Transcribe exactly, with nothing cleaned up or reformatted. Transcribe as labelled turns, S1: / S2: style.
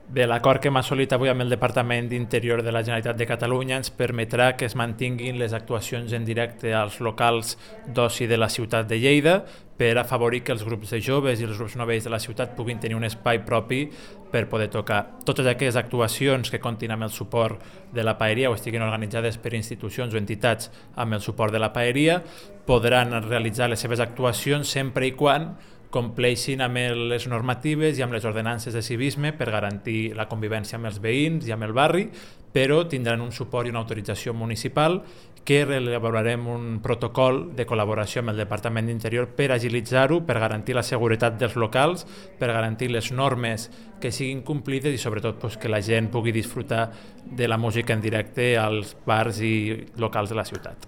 S1: Bé, l'acord que hem assolit avui amb el Departament d'Interior de la Generalitat de Catalunya ens permetrà que es mantinguin les actuacions en directe als locals d'oci de la ciutat de Lleida per afavorir que els grups de joves i els grups novells de la ciutat puguin tenir un espai propi per poder tocar. Totes aquelles actuacions que comptin amb el suport de la paeria o estiguin organitzades per institucions o entitats amb el suport de la paeria podran realitzar les seves actuacions sempre i quan compleixin amb les normatives i amb les ordenances de civisme per garantir la convivència amb els veïns i amb el barri, però tindran un suport i una autorització municipal que elaborarem un protocol de col·laboració amb el Departament d'Interior per agilitzar-ho, per garantir la seguretat dels locals, per garantir les normes que siguin complides i sobretot pues, que la gent pugui disfrutar de la música en directe als bars i locals de la ciutat.